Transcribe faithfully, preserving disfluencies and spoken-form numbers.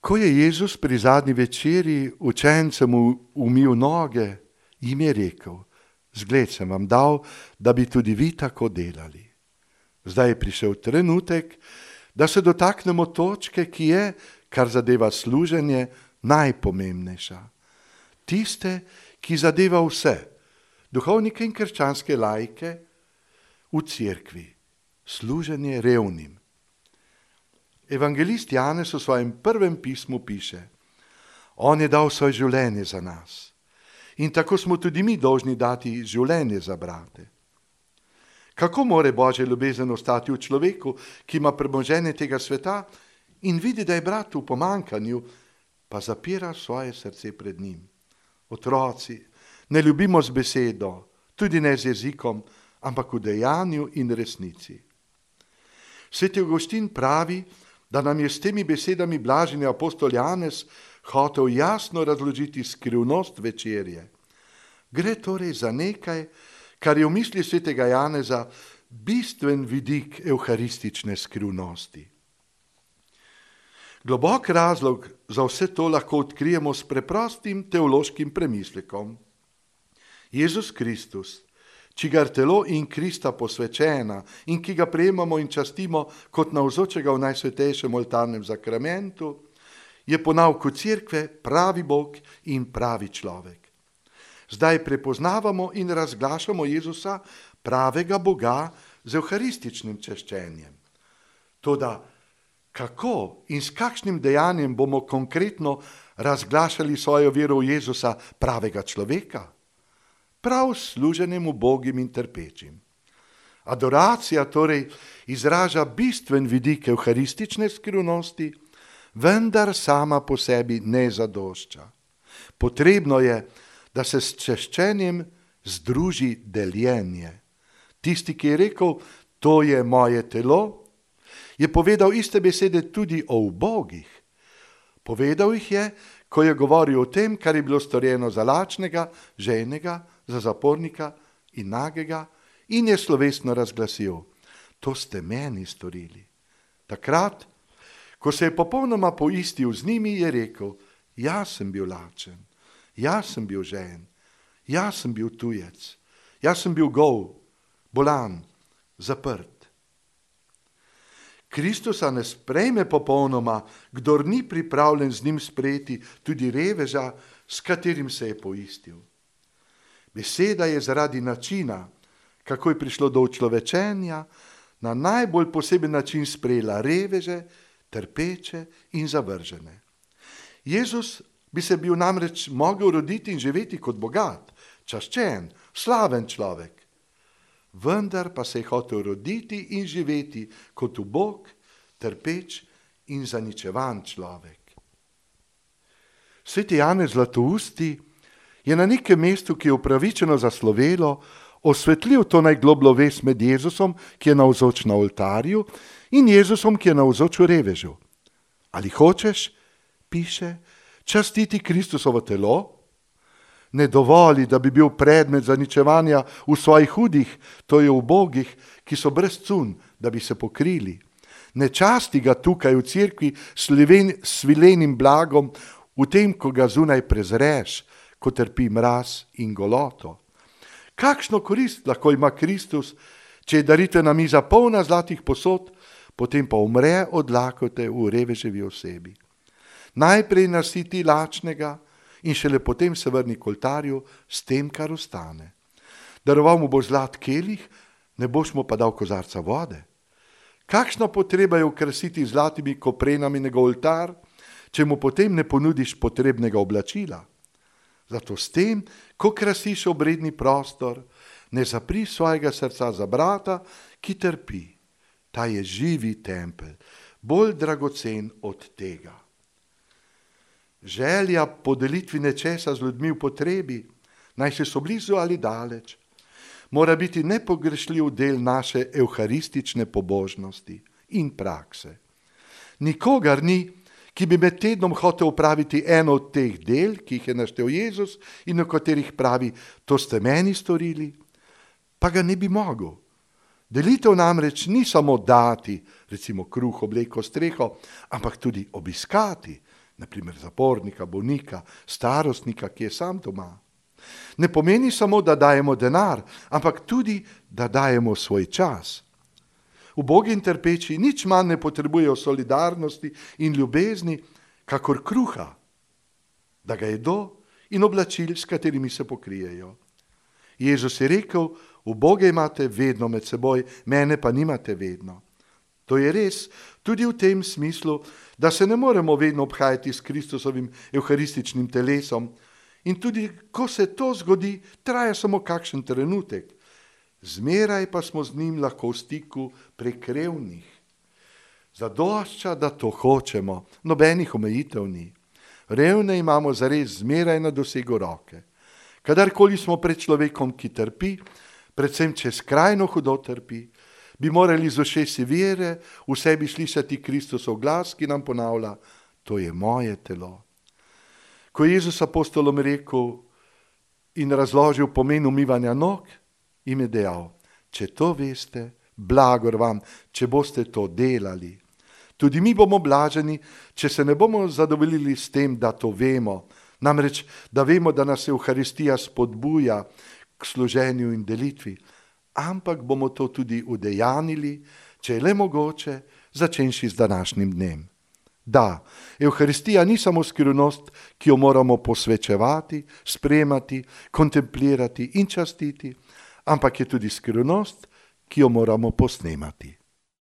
Ko je Jezus pri zadnji večeri učencem umil noge, jim je rekel: zgled sem vam dal, da bi tudi vi tako delali. Zdaj je prišel trenutek, da se dotaknemo točke, ki je, kar zadeva služenje, najpomembnejša. Tiste, ki zadeva vse, duhovnike in krščanske laike v cerkvi, služenje revnim. Evangelist Janez v svojem prvem pismu piše: on je dal svoje življenje za nas. In tako smo tudi mi dolžni dati življenje za brate. Kako more Božja ljubezen ostati v človeku, ki ima premoženje tega sveta in vidi, da je brat v pomanjkanju, pa zapira svoje srce pred njim? Otroci, ne ljubimo z besedo, tudi ne z jezikom, ampak v dejanju in resnici. Sveti Avguštin pravi, da nam je s temi besedami blaženi apostol Janez hotel jasno razložiti skrivnost večerje. Gre torej za nekaj, kar je v misli svetega Janeza bistven vidik evharistične skrivnosti. Globok razlog za vse to lahko odkrijemo s preprostim teološkim premislekom. Jezus Kristus, čigar telo in Krista posvečena in ki ga prejemamo in častimo kot navzočega v najsvetejšem oltarnem zakramentu, je po nauku cerkve pravi Bog in pravi človek. Zdaj prepoznavamo in razglašamo Jezusa, pravega Boga, z evharističnim češčenjem. Toda kako in s kakšnim dejanjem bomo konkretno razglašali svojo vero v Jezusa, pravega človeka? Prav služenjem ubogim in trpečim. Adoracija torej izraža bistven vidik evharistične skrivnosti, vendar sama po sebi ne zadošča. Potrebno je, da se s češčenjem združi deljenje. Tisti, ki je rekel, to je moje telo, je povedal iste besede tudi o ubogih. Povedal jih je, ko je govoril o tem, kar je bilo storjeno za lačnega, žejnega, za zapornika in nagega, in je slovesno razglasil: to ste meni storili. Takrat, ko se je popolnoma poistil z njimi, je rekel: jaz sem bil lačen, jaz sem bil žejen, jaz sem bil tujec, jaz sem bil gol, bolan, zaprt. Kristusa ne sprejme popolnoma, kdor ni pripravljen z njim sprejeti tudi reveža, s katerim se je poistil. Beseda je zaradi načina, kako je prišlo do učlovečenja, na najbolj poseben način sprejela reveže, trpeče in zavržene. Jezus bi se bil namreč mogel roditi in živeti kot bogat, čaščen, slaven človek. Vendar pa se je hotel roditi in živeti kot ubog, trpeč in zaničevan človek. Sveti Janez Zlatousti je na nekem mestu, ki je upravičeno zaslovelo, osvetlil to najglobljo vez med Jezusom, ki je navzoč na oltarju, in Jezusom, ki je navzoč v revežu. Ali hočeš, piše, častiti Kristusovo telo? Ne dovoli, da bi bil predmet zaničevanja v svojih hudih, to je ubogih, ki so brez cun, da bi se pokrili. Ne časti ga tukaj v cerkvi s svilenim blagom, v tem, ko ga zunaj prezreš, ko trpi mraz in goloto. Kakšno korist lahko ima Kristus, če je daritvena miza polna zlatih posod, potem pa umre od lakote v reveževi osebi. Najprej nasiti lačnega in šele potem se vrni k oltarju s tem, kar ostane. Daroval mu bo zlat kelih, ne boš mu pa dal kozarca vode. Kakšna potreba je okrasiti zlatimi koprenami njegov oltar, če mu potem ne ponudiš potrebnega oblačila? Zato s tem, ko krasiš obredni prostor, ne zapri svojega srca za brata, ki trpi. Ta je živi tempelj, bolj dragocen od tega. Želja po delitvi nečesa z ljudmi v potrebi, naj se so blizu ali daleč, mora biti nepogrešljiv del naše evharistične pobožnosti in prakse. Nikogar ni, ki bi med tednom hotel upraviti eno od teh del, ki jih je naštel Jezus in o katerih pravi, to ste meni storili, pa ga ne bi mogel. Delitev namreč ni samo dati, recimo kruh, obleko, streho, ampak tudi obiskati, naprimer zapornika, bolnika, starostnika, ki je sam doma. Ne pomeni samo, da dajemo denar, ampak tudi, da dajemo svoj čas. Ubogi in trpeči nič manj ne potrebujejo solidarnosti in ljubezni, kakor kruha, da ga jedo in oblačil, s katerimi se pokrijejo. Jezus je rekel, uboge imate vedno med seboj, mene pa nimate vedno. To je res tudi v tem smislu, da se ne moremo vedno obhajati s Kristusovim evharističnim telesom in tudi, ko se to zgodi, traja samo kakšen trenutek. Zmeraj pa smo z njim lahko v stiku prek revnih. Zadošča, da to hočemo, nobenih omejitev ni. Revne imamo zares zmeraj na dosegu roke. Kadarkoli smo pred človekom, ki trpi, predvsem če skrajno hudo trpi, bi morali z ušesi vere v sebi slišati Kristusov glas, ki nam ponavlja, to je moje telo. Ko je Jezus apostolom rekel in razložil pomen umivanja nog, jim je dejal, če to veste, blagor vam, če boste to delali. Tudi mi bomo blaženi, če se ne bomo zadovoljili s tem, da to vemo. Namreč, da vemo, da nas Evharistija spodbuja k služenju in delitvi, ampak bomo to tudi udejanili, če je le mogoče, začenši z današnjim dnem. Da, Evharistija ni samo skrivnost, ki jo moramo posvečevati, spremati, kontemplirati in častiti, ampak je tudi skrivnost, ki jo moramo posnemati.